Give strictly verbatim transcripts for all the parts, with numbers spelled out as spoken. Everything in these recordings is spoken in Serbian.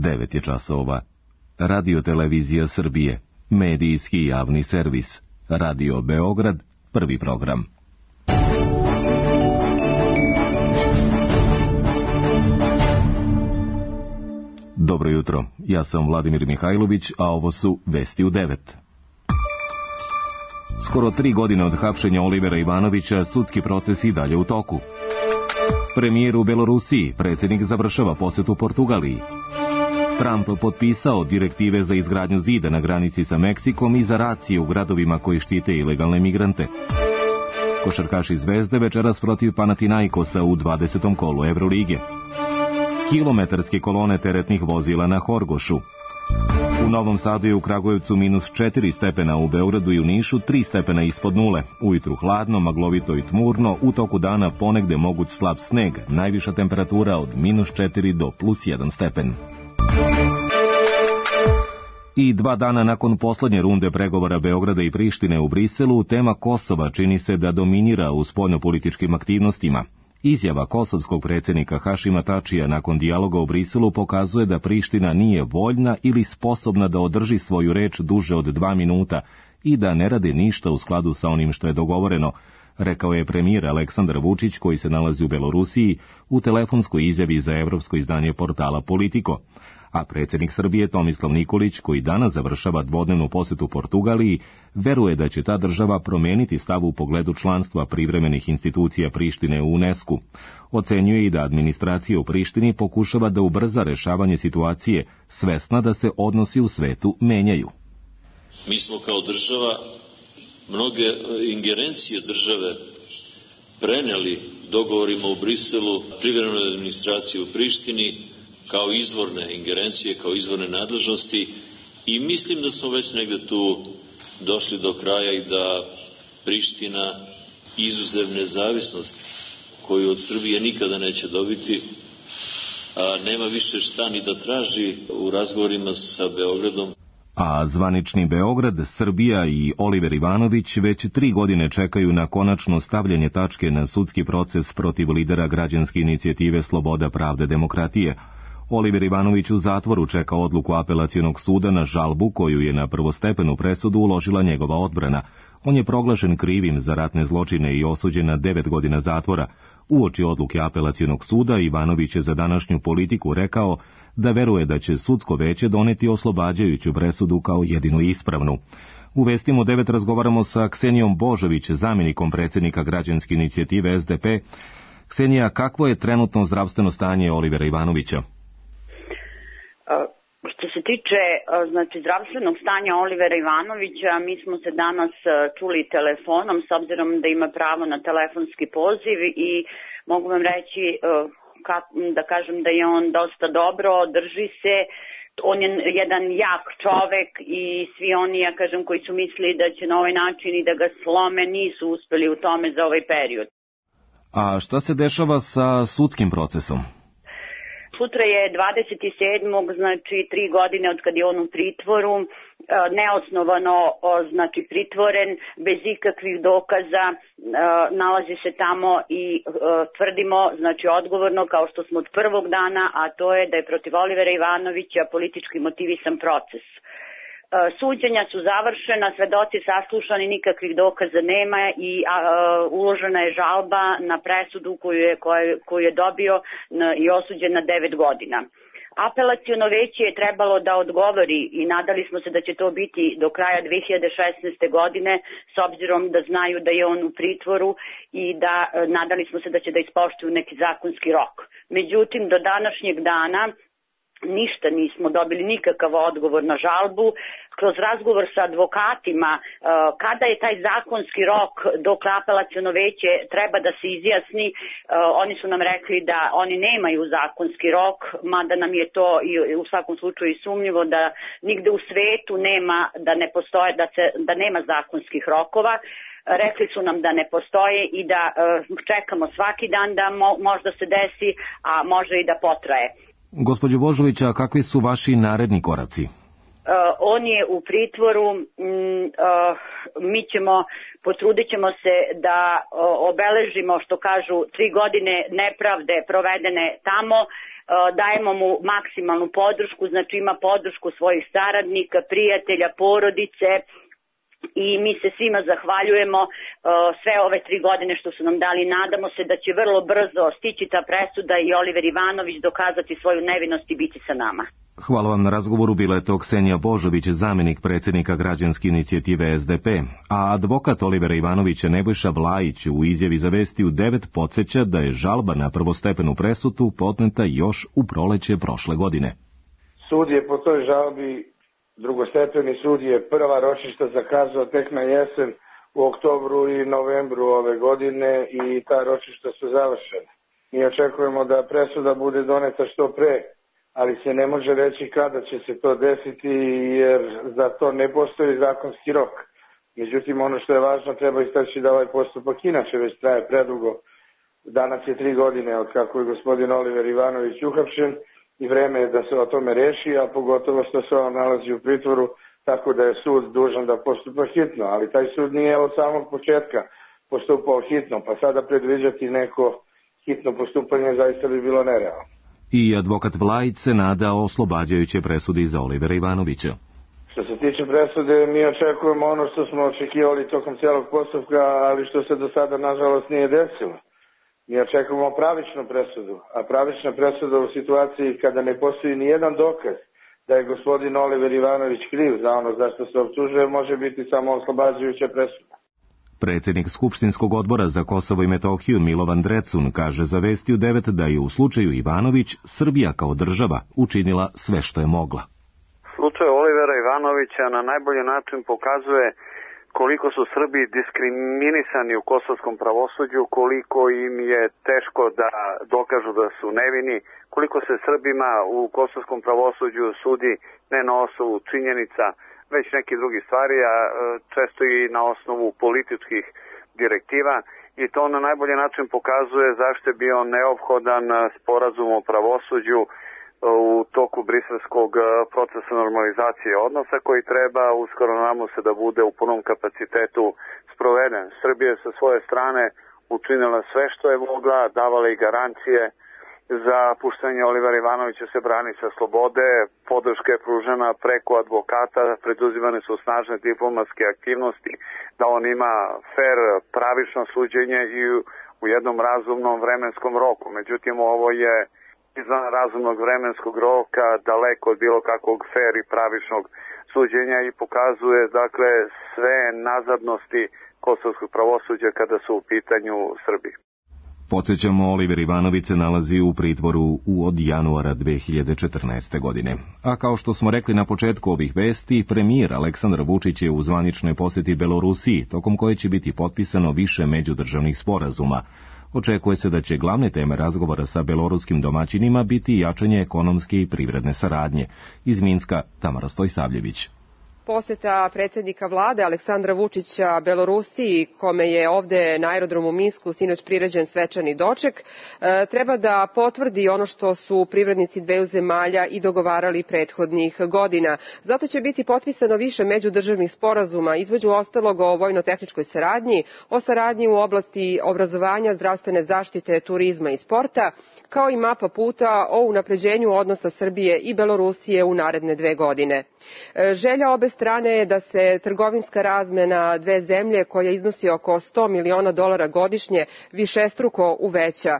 devet je časova. Radio Televizija Srbije, medijski javni servis. Radio Beograd, prvi program. Dobro jutro, ja sam Vladimir Mihajlović, a ovo su Vesti u devet. Skoro tri godine od hapšenja Olivera Ivanovića, sudski proces i dalje u toku. Premijer u Belorusiji, predsjednik završava posetu Portugaliji. Trump potpisao direktive za izgradnju zida na granici sa Meksikom i za racije u gradovima koji štite ilegalne migrante. Košarkaši Zvezde večeras protiv Panathinaikosa u dvadesetom kolu Evrolige. Kilometarske kolone teretnih vozila na Horgošu. U Novom Sadu i u Kragujevcu minus četiri stepena, u Beogradu i u Nišu tri stepena ispod nule. Ujutru hladno, maglovito i tmurno, u toku dana ponegde moguć slab sneg, najviša temperatura od minus četiri do plus jedan stepen. I dva dana nakon poslednje runde pregovora Beograda i Prištine u Briselu, tema Kosova čini se da dominira u spoljnopolitičkim aktivnostima. Izjava kosovskog predsjednika Hašima Tačija nakon dijaloga u Briselu pokazuje da Priština nije voljna ili sposobna da održi svoju reč duže od dva minuta i da ne rade ništa u skladu sa onim što je dogovoreno, rekao je premijer Aleksandar Vučić, koji se nalazi u Belorusiji, u telefonskoj izjavi za evropsko izdanje portala Politico. A predsjednik Srbije Tomislav Nikolić, koji danas završava dvodnevnu posetu Portugaliji, veruje da će ta država promeniti stav u pogledu članstva privremenih institucija Prištine u UNESCO. Ocenjuje i da administracija u Prištini pokušava da ubrza rešavanje situacije, svesna da se odnosi u svetu menjaju. Mi smo kao država mnoge ingerencije države preneli dogovorima u Briselu privremenoj administraciji u Prištini kao izvorne ingerencije, kao izvorne nadležnosti, i mislim da smo već negde tu došli do kraja i da Priština, izuzev nezavisnost koju od Srbije nikada neće dobiti, a nema više šta ni da traži u razgovorima sa Beogradom. A zvanični Beograd, Srbija i Oliver Ivanović već tri godine čekaju na konačno stavljanje tačke na sudski proces protiv lidera građanske inicijative Sloboda, pravde, demokratije. Oliver Ivanović u zatvoru čeka odluku apelacionog suda na žalbu koju je na prvostepenu presudu uložila njegova odbrana. On je proglašen krivim za ratne zločine i osuđen na devet godina zatvora. Uoči odluke apelacionog suda, Ivanović je za današnju Politiku rekao da veruje da će sudsko veće doneti oslobađajuću presudu kao jedinu ispravnu. U Vestima u devet razgovaramo sa Ksenijom Božović, zamjenikom predsjednika građanske inicijative S D P. Ksenija, kakvo je trenutno zdravstveno stanje Olivera Ivanovića? Što se tiče znači, zdravstvenog stanja Olivera Ivanovića, mi smo se danas čuli telefonom, s obzirom da ima pravo na telefonski poziv, i mogu vam reći da kažem da je on dosta dobro, drži se, on je jedan jak čovek i svi oni, ja kažem, koji su mislili da će na ovaj način i da ga slome, nisu uspeli u tome za ovaj period. A šta se dešava sa sudskim procesom? Sutra je dvadeset sedmog znači tri godine od kad je on u pritvoru, neosnovano znači pritvoren, bez ikakvih dokaza, nalazi se tamo i tvrdimo znači odgovorno, kao što smo od prvog dana, a to je da je protiv Olivera Ivanovića politički motivisan proces. Suđenja su završena, svedoci saslušani, nikakvih dokaza nema i a, uložena je žalba na presudu koju je, koju, koju je dobio i osuđen na devet godina. Apelaciono veće je trebalo da odgovori i nadali smo se da će to biti do kraja dve hiljade šesnaeste. godine, s obzirom da znaju da je on u pritvoru, i da nadali smo se da će da ispoštuju neki zakonski rok. Međutim, do današnjeg dana ništa nismo dobili, nikakav odgovor na žalbu. Kroz razgovor sa advokatima, kada je taj zakonski rok dok apelaciono veće treba da se izjasni, oni su nam rekli da oni nemaju zakonski rok, mada nam je to i u svakom slučaju sumnjivo da nigde u svetu nema, da ne postoje, da se, da nema zakonskih rokova. Rekli su nam da ne postoje i da čekamo svaki dan da mo, možda se desi, a može i da potraje. Gospođo Božovića, kakvi su vaši naredni koraci? Uh, on je u pritvoru, mm, uh, mi ćemo, potrudit ćemo se da uh, obeležimo, što kažu, tri godine nepravde provedene tamo. dajemo mu maksimalnu podršku, znači ima podršku svojih saradnika, prijatelja, porodice, i mi se svima zahvaljujemo sve ove tri godine što su nam dali. Nadamo se da će vrlo brzo stići ta presuda i Oliver Ivanović dokazati svoju nevinost i biti sa nama. Hvala vam na razgovoru, bila je to Ksenija Božović, zamjenik predsjednika građanske inicijative S D P, a advokat Olivera Ivanovića Nebojša Vlajić u izjavi za Vesti u devet podsjeća da je žalba na prvostepenu presudu podneta još u proleće prošle godine. Sud je po toj žalbi, drugostepeni sud je prva ročišta zakazao tek na jesen u oktobru i novembru ove godine i ta ročišta su završena. Mi očekujemo da presuda bude doneta što pre, ali se ne može reći kada će se to desiti jer za to ne postoji zakonski rok. Međutim, ono što je važno, treba istaći da ovaj postupak inače već traje predugo. Danas je tri godine od kako je gospodin Oliver Ivanović uhapšen i vreme je da se o tome reši, a pogotovo što se on nalazi u pritvoru, tako da je sud dužan da postupa hitno. Ali taj sud nije od samog početka postupao hitno, pa sada predviđati neko hitno postupanje zaista bi bilo nerealno. I advokat Vlajić se nada oslobađajuće presudi za Olivera Ivanovića. Što se tiče presude, mi očekujemo ono što smo očekivali tokom cijelog postupka, ali što se do sada nažalost nije desilo. Mi očekujemo pravičnu presudu, a pravična presuda u situaciji kada ne postoji ni jedan dokaz da je gospodin Oliver Ivanović kriv za ono za što se optužuje, može biti samo oslobađajuća presuda. Predsjednik Skupštinskog odbora za Kosovo i Metohiju Milovan Drecun kaže za Vesti u devet da je u slučaju Ivanović Srbija kao država učinila sve što je mogla. Slučaj Olivera Ivanovića na najbolji način pokazuje koliko su Srbi diskriminisani u kosovskom pravosuđu, koliko im je teško da dokažu da su nevini, koliko se Srbima u kosovskom pravosuđu sudi ne na osnovu činjenica, već neki drugi stvari, a često i na osnovu političkih direktiva, i to na najbolji način pokazuje zašto je bio neophodan sporazum o pravosuđu u toku briselskog procesa normalizacije odnosa koji treba uskoro nadamo se da bude u punom kapacitetu sproveden. Srbija sa svoje strane učinila sve što je mogla, davala i garancije za puštanje Olivera Ivanovića se brani sa slobode, podrška je pružena preko advokata, preduzimane su snažne diplomatske aktivnosti da on ima fer, pravično suđenje i u jednom razumnom vremenskom roku. Međutim, ovo je izvan razumnog vremenskog roka, daleko od bilo kakvog fer i pravičnog suđenja i pokazuje dakle sve nazadnosti kosovskog pravosuđa kada su u pitanju Srbi. Podsjećamo, Oliver Ivanović se nalazi u pritvoru od januara dve hiljade četrnaeste. godine. A kao što smo rekli na početku ovih vesti, premijer Aleksandar Vučić je u zvaničnoj posjeti Belorusiji, tokom koje će biti potpisano više međudržavnih sporazuma. Očekuje se da će glavne teme razgovora sa beloruskim domaćinima biti jačanje ekonomske i privredne saradnje. Iz Minska, Tamara Stojsavljević. Posjeta predsjednika vlade Aleksandra Vučića Belorusiji, kome je ovde na aerodromu u Minsku sinoć priređen svečani doček, treba da potvrdi ono što su privrednici dveju zemalja i dogovarali prethodnih godina. Zato će biti potpisano više međudržavnih sporazuma, između ostalog o vojno-tehničkoj saradnji, o saradnji u oblasti obrazovanja, zdravstvene zaštite, turizma i sporta, kao i mapa puta o unapređenju odnosa Srbije i Belorusije u naredne dve godine. Želja obe strane je da se trgovinska razmena dve zemlje, koja iznosi oko sto miliona dolara godišnje, višestruko uveća,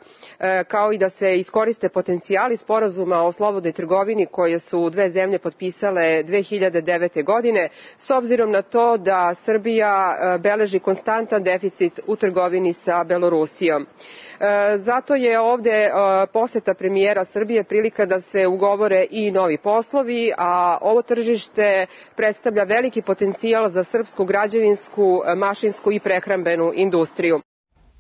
kao i da se iskoriste potencijali sporazuma o slobodnoj trgovini koje su dve zemlje potpisale dve hiljade devete. godine, s obzirom na to da Srbija beleži konstantan deficit u trgovini sa Belorusijom. Zato je ovde poseta premijera Srbije prilika da se ugovore i novi poslovi, a ovo tržište predstavlja veliki potencijal za srpsku građevinsku, mašinsku i prehrambenu industriju.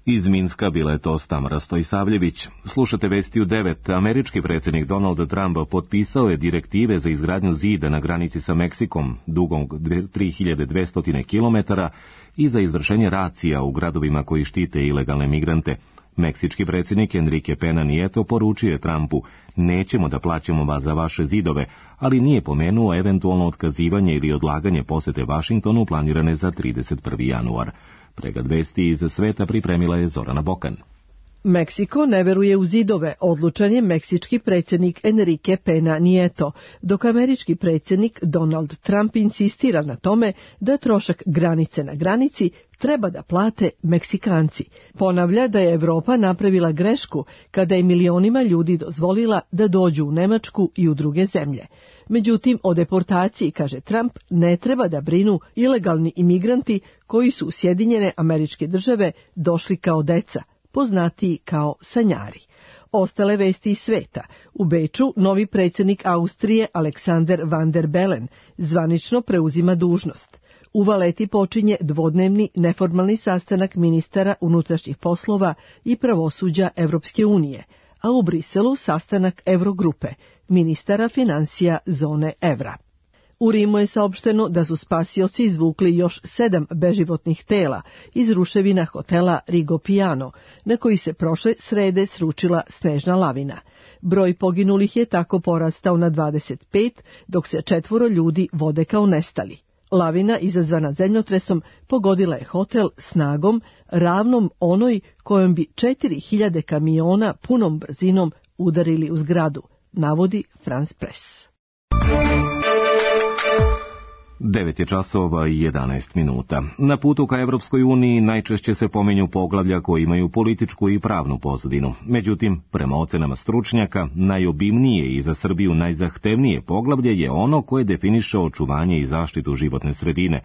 Iz Minska bila je to Tamara Stojsavljević. Slušate Vesti u devet. Američki predsjednik Donald Trump potpisao je direktive za izgradnju zida na granici sa Meksikom, dugom tri hiljade dvesta kilometara, i za izvršenje racija u gradovima koji štite ilegalne migrante. Meksički predsjednik Enrique Pena Nieto poručio je Trumpu: nećemo da plaćamo vas za vaše zidove, ali nije pomenuo eventualno otkazivanje ili odlaganje posete Vašingtonu planirane za trideset prvi januar. Pregled vesti iz sveta pripremila je Zorana Bokan. Meksiko ne veruje u zidove, odlučan je meksički predsjednik Enrique Pena Nieto, dok američki predsjednik Donald Trump insistira na tome da trošak granice na granici treba da plate Meksikanci. Ponavlja da je Evropa napravila grešku kada je milionima ljudi dozvolila da dođu u Nemačku i u druge zemlje. Međutim, o deportaciji, kaže Trump, ne treba da brinu ilegalni imigranti koji su u Sjedinjene Američke Države došli kao deca, poznatiji kao sanjari. Ostale vesti iz sveta. U Beču novi predsjednik Austrije Alexander Van der Bellen zvanično preuzima dužnost. U Valeti počinje dvodnevni neformalni sastanak ministara unutrašnjih poslova i pravosuđa Evropske unije, a u Briselu sastanak Eurogrupe, ministara financija zone evra. U Rimu je saopšteno da su spasioci izvukli još sedam beživotnih tela iz ruševina hotela Rigopiano, na koji se prošle srede sručila snežna lavina. Broj poginulih je tako porastao na dvadeset pet, dok se četvoro ljudi vode kao nestali. Lavina izazvana zemljotresom pogodila je hotel snagom ravnom onoj kojom bi četiri hiljade kamiona punom brzinom udarili u zgradu, navodi France Press. devet je časova i jedanaest minuta. Na putu ka Evropskoj uniji najčešće se pominju poglavlja koji imaju političku i pravnu pozadinu. Međutim, prema ocenama stručnjaka, najobimnije i za Srbiju najzahtevnije poglavlje je ono koje definiše očuvanje i zaštitu životne sredine.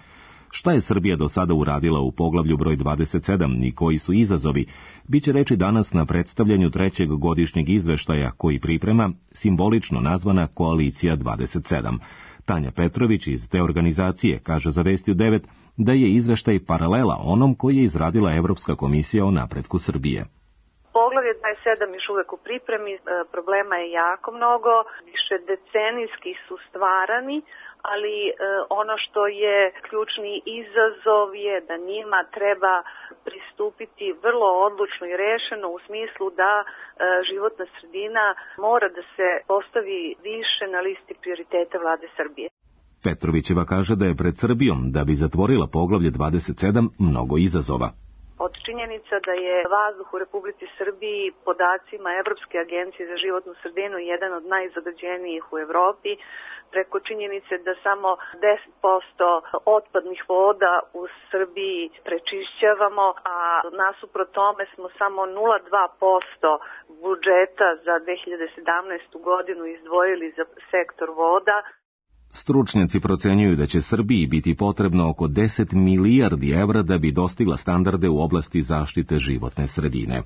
Šta je Srbija do sada uradila u poglavlju broj dvadeset sedam i koji su izazovi, biće reči danas na predstavljanju trećeg godišnjeg izveštaja koji priprema simbolično nazvana Koalicija dvadeset sedam. Tanja Petrović iz te organizacije kaže za Vesti u devet da je izveštaj paralela onom koji je izradila Evropska komisija o napretku Srbije. Poglavlje dvadeset sedam još uvek u pripremi, problema je jako mnogo, više decenijski su stvarani, ali ono što je ključni izazov je da njima treba pristupiti vrlo odlučno i rešeno u smislu da životna sredina mora da se postavi više na listi prioriteta vlade Srbije. Petrovićeva kaže da je pred Srbijom, da bi zatvorila poglavlje dvadeset sedam, mnogo izazova. Od činjenica da je vazduh u Republici Srbiji podacima Evropske agencije za životnu sredinu jedan od najzagađenijih u Evropi, preko činjenice da samo deset posto otpadnih voda u Srbiji prečišćavamo, a nasuprot tome smo samo nula zarez dva posto budžeta za dve hiljade sedamnaestu godinu izdvojili za sektor voda. Stručnjaci procenjuju da će Srbiji biti potrebno oko deset milijardi evra da bi dostigla standarde u oblasti zaštite životne sredine.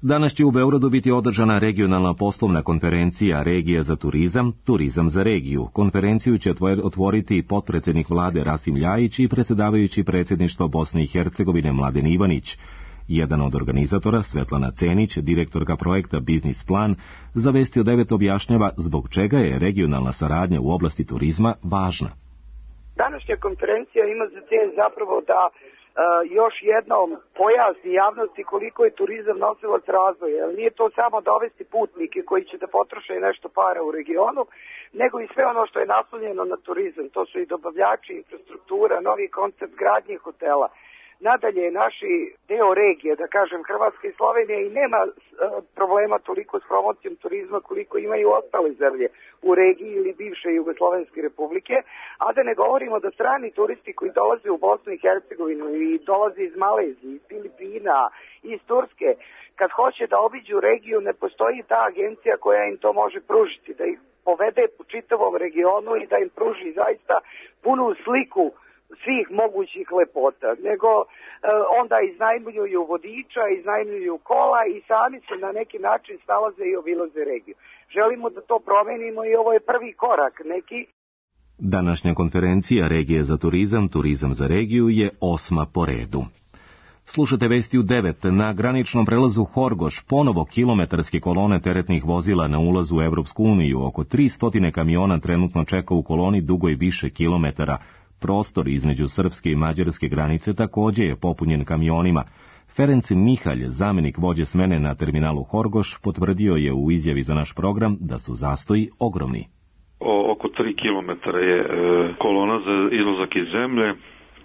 Danas će u Beogradu biti održana regionalna poslovna konferencija Regija za turizam, Turizam za regiju. Konferenciju će otvoriti potpredsednik vlade Rasim Ljajić i predsjedavajući predsjedništva Bosne i Hercegovine Mladen Ivanić. Jedan od organizatora, Svetlana Cenić, direktorka projekta Biznis plan, za Vesti u devet objašnjava zbog čega je regionalna saradnja u oblasti turizma važna. Današnja konferencija ima za cilj zapravo da uh, još jednom pojasni javnosti koliko je turizam nosilac razvoja. Jer nije to samo dovesti putnike koji će da potroše nešto para u regionu, nego i sve ono što je naslonjeno na turizam. To su i dobavljači, infrastruktura, novi koncept gradnje hotela. Nadalje, naši deo regije, da kažem Hrvatska i Slovenija, i nema e, problema toliko s promocijom turizma koliko imaju ostale zemlje u regiji ili bivše Jugoslovenske republike, a da ne govorimo da strani turisti koji dolaze u Bosnu i Hercegovinu i dolaze iz Malezije, iz Filipina, iz Turske, kad hoće da obiđu regiju, ne postoji ta agencija koja im to može pružiti, da ih povede po čitavom regionu i da im pruži zaista punu sliku svih mogućih lepota, nego e, onda iznajmljuju vodiča, iznajmljuju kola i sami se na neki način snalaze i obilaze regiju. Želimo da to promenimo i ovo je prvi korak neki. Današnja konferencija Regije za turizam, Turizam za regiju je osma po redu. Slušate Vesti u devet. Na graničnom prelazu Horgoš ponovo kilometarske kolone teretnih vozila na ulazu u Evropsku uniju. Oko tristo kamiona trenutno čeka u koloni dugoj više kilometara. Prostor između srpske i mađarske granice također je popunjen kamionima. Ferenc Mihalj, zamjenik vođe smene na terminalu Horgoš, potvrdio je u izjavi za naš program da su zastoji ogromni. O, oko tri kilometra je e, kolona za izlazak iz zemlje.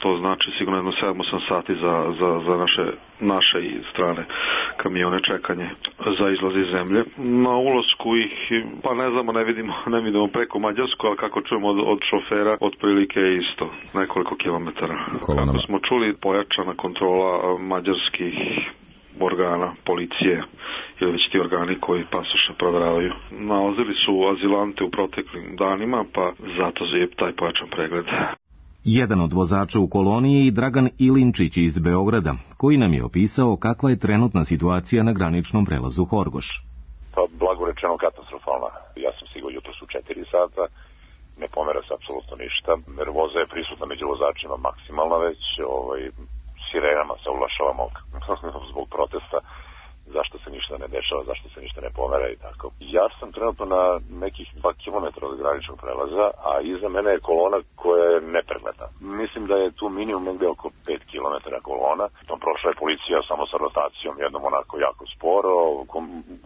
To znači sigurno jedno sedam osam sati za, za, za naše, naše i strane kamione čekanje za izlaz iz zemlje. Na ulasku ih, pa ne znamo, ne vidimo, ne vidimo preko Mađarsku, ali kako čujemo od, od šofera, otprilike isto, nekoliko kilometara. Kolonama. Kako smo čuli, pojačana kontrola mađarskih organa, policije ili već ti organi koji pasoše proveravaju. Nalazili su azilante u proteklim danima, pa zato je taj pojačan pregled. Jedan od vozača u koloniji je Dragan Ilinčić iz Beograda, koji nam je opisao kakva je trenutna situacija na graničnom prelazu Horgoš. Pa, blago rečeno, katastrofalna. Ja sam stigao jutros u četiri sata, ne pomera se apsolutno ništa. Nervoza je prisutna među vozačima maksimalna već, ovaj, sirenama se oglašavamo zbog protesta, zašto se ništa ne dešava, zašto se ništa ne pomera i tako. Ja sam trenutno na nekih dva kilometra od graničnog prelaza, a iza mene je kolona koja je nepregledna. Mislim da je tu minimum negde oko pet kilometara kolona. Tom prošla je policija samo sa rotacijom, jednom onako jako sporo,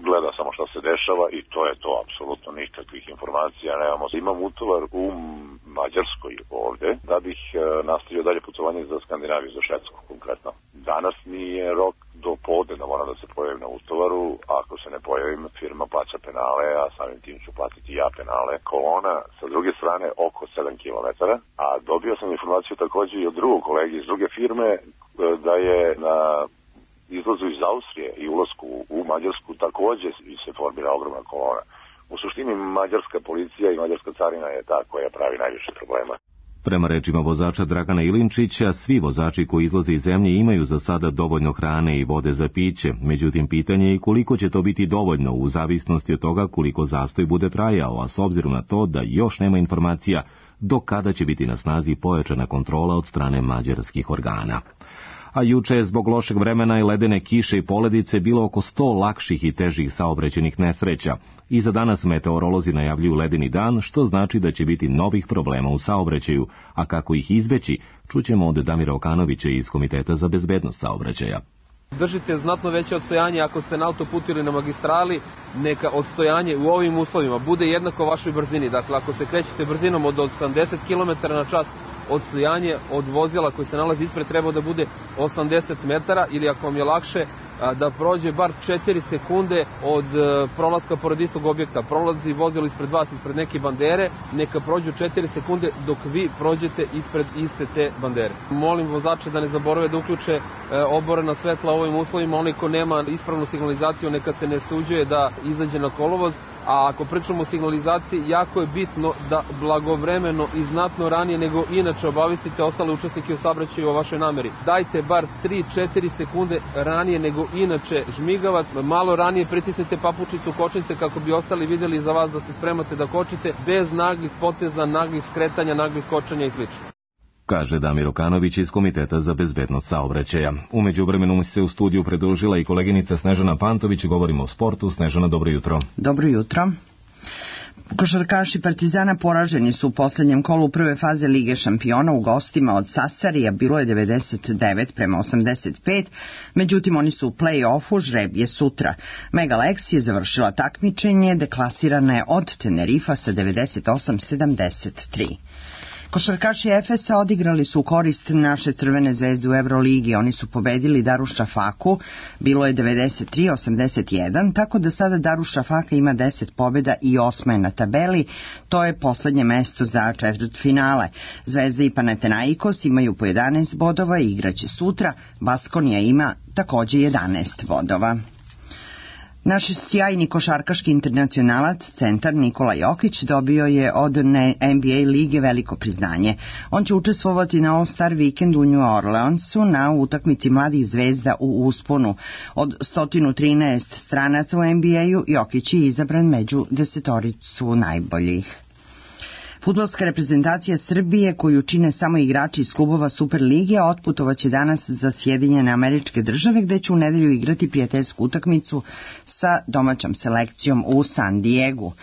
gleda samo šta se dešava i to je to, apsolutno nikakvih informacija nemamo. Imam utovar u Mađarskoj ovde, da bih nastavio dalje putovanje za Skandinaviju, za Švedsku konkretno. Danas mi je rok do podne da moram da se pojavim na utovaru, a ako se ne pojavim, firma plaća penale, a samim tim ću platiti ja penale. Kolona sa druge strane oko sedam kilometara, a dobio sam informaciju takođe i od drugog kolege iz druge firme da je na izlazu iz Austrije i ulasku u Mađarsku takođe se formira ogromna kolona. U suštini mađarska policija i mađarska carina je ta koja pravi najviše problema. Prema rečima vozača Dragana Ilinčića, svi vozači koji izlaze iz zemlje imaju za sada dovoljno hrane i vode za piće, međutim pitanje je koliko će to biti dovoljno u zavisnosti od toga koliko zastoj bude trajao, a s obzirom na to da još nema informacija do kada će biti na snazi pojačana kontrola od strane mađarskih organa. A juče je zbog lošeg vremena i ledene kiše i poledice bilo oko sto lakših i težih saobraćajnih nesreća. I za danas meteorolozi najavljuju ledeni dan, što znači da će biti novih problema u saobraćaju, a kako ih izbeći, čućemo od Damira Okanovića iz Komiteta za bezbednost saobraćaja. Držite znatno veće odstojanje ako ste na autoputu ili na magistrali, neka odstojanje u ovim uslovima bude jednako vašoj brzini. Dakle, ako se krećete brzinom od osamdeset kilometara na čas, odstojanje od vozila koji se nalazi ispred treba da bude osamdeset metara, ili ako vam je lakše da prođe bar četiri sekunde od prolaska pored istog objekta. Prolazi vozilo ispred vas, ispred neke bandere, neka prođu četiri sekunde dok vi prođete ispred iste te bandere. Molim vozače da ne zaborave da uključe oborena svetla u ovim uslovima. Onaj ko nema ispravnu signalizaciju neka se ne suđuje da izađe na kolovoz. A ako pričamo o signalizaciji, jako je bitno da blagovremeno i znatno ranije nego inače obavestite ostale učesnike u saobraćaju o vašoj nameri. Dajte bar tri do četiri sekunde ranije nego inače žmigavac, malo ranije pritisnite papučicu kočnice kako bi ostali vidjeli za vas da se spremate da kočite, bez naglih poteza, naglih skretanja, naglih kočanja i sl. Kaže Damir Okanović iz Komiteta za bezbednost saobraćaja. U međuvremenu mi se u studiju pridružila i koleginica Snežana Pantović. Govorimo o sportu. Snežana, dobro jutro. Dobro jutro. Košarkaši Partizana poraženi su u poslednjem kolu prve faze Lige šampiona u gostima od Sasarija, bilo je devedeset devet prema osamdeset pet, međutim oni su u play-offu, žreb je sutra. Mega Lex je završila takmičenje, deklasirana je od Tenerifa sa devedeset osam sedamdeset tri. Košarkaši Efesa odigrali su u korist naše Crvene zvezde u Euroligi. Oni su pobedili Darušafaku, bilo je devedeset tri osamdeset jedan, tako da sada Darušafaka ima deset pobjeda i osma je na tabeli. To je poslednje mesto za četvrtfinale. Zvezda i Panathinaikos imaju po jedanaest bodova i igraće sutra. Baskonija ima takođe jedanaest bodova. Naš sjajni košarkaški internacionalac, centar Nikola Jokić, dobio je od N B A lige veliko priznanje. On će učestvovati na All-Star Weekend u New Orleansu na utakmici mladih zvezda u usponu. Od sto trinaest stranaca u N B A-u Jokić je izabran među desetoricu najboljih. Fudbalska reprezentacija Srbije, koju čine samo igrači iz klubova Superlige, otputovaće danas za Sjedinjene Američke Države, gde će u nedelju igrati prijateljsku utakmicu sa domaćom selekcijom u San Diegu.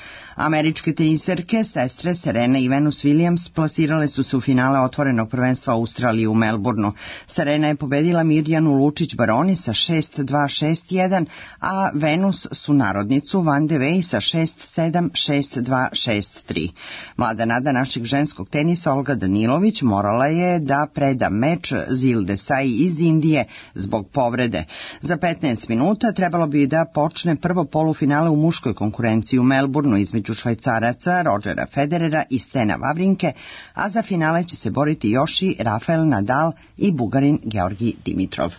Američke teniserke, sestre Serena i Venus Williams, plasirale su se u finale otvorenog prvenstva Australije u Melbourneu. Serena je pobedila Mirjanu Lučić Baroni sa šest dva šest jedan, a Venus sunarodnicu Van de Wey sa šest sedam šest dva šest tri. Mlada nada našeg ženskog tenisa Olga Danilović morala je da preda meč Zil Desai iz Indije zbog povrede. Za petnaest minuta trebalo bi da počne prvo polufinale u muškoj konkurenciji u Melbourneu između Švajcaraca Rodgera Federera i Stena Wawrinke, a za finale će se boriti još i Rafael Nadal i Bugarin Georgi Dimitrov.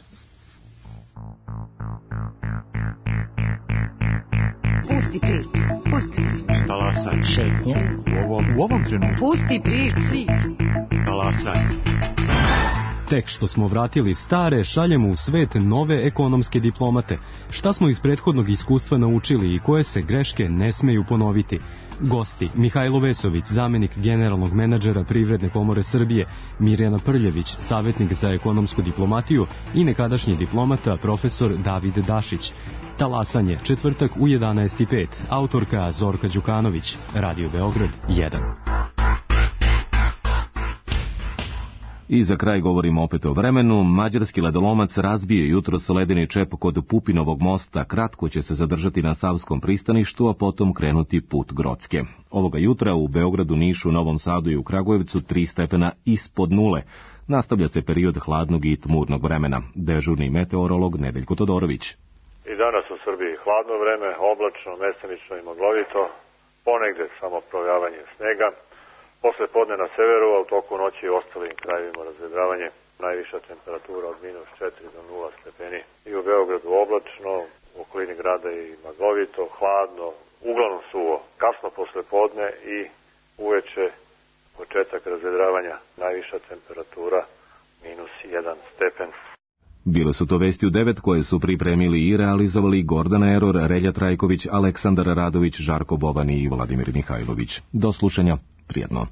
Pusti priču, pusti priču. Talasaj. Šetnja. U ovom, u ovom trenutku. Pusti priču. Talasaj. Tek što smo vratili stare, šaljemo u svet nove ekonomske diplomate. Šta smo iz prethodnog iskustva naučili i koje se greške ne smeju ponoviti? Gosti: Mihajlo Vesović, zamenik generalnog menadžera Privredne komore Srbije, Mirjana Prljević, savjetnik za ekonomsku diplomatiju i nekadašnji diplomata profesor David Dašić. Talasanje, četvrtak u jedanaest i pet. Autorka Zorka Đukanović, Radio Beograd jedan. I za kraj govorimo opet o vremenu. Mađarski ledolomac razbije jutros ledeni čep kod Pupinovog mosta. Kratko će se zadržati na Savskom pristaništu, a potom krenuti put Grocke. Ovoga jutra u Beogradu, Nišu, Novom Sadu i u Kragujevcu tri stepena ispod nule. Nastavlja se period hladnog i tmurnog vremena. Dežurni meteorolog Nedeljko Todorović. I danas u Srbiji hladno vreme, oblačno, mesenično i maglovito, ponegde samo projavanje snega. Posle podne na severu, a u toku noći i ostalim krajevima razvedravanje. Najviša temperatura od minus četiri do nula stepeni. I u Beogradu oblačno, u okolini grada i maglovito, hladno, uglavnom suvo. Kasno posle podne i uveče početak razvedravanja. Najviša temperatura minus jedan stepen. Bile su to vesti u devet koje su pripremili i realizovali Gordana Eror, Relja Trajković, Aleksandar Radović, Žarko Bovan i Vladimir Mihajlović. Do slušanja, prijetno.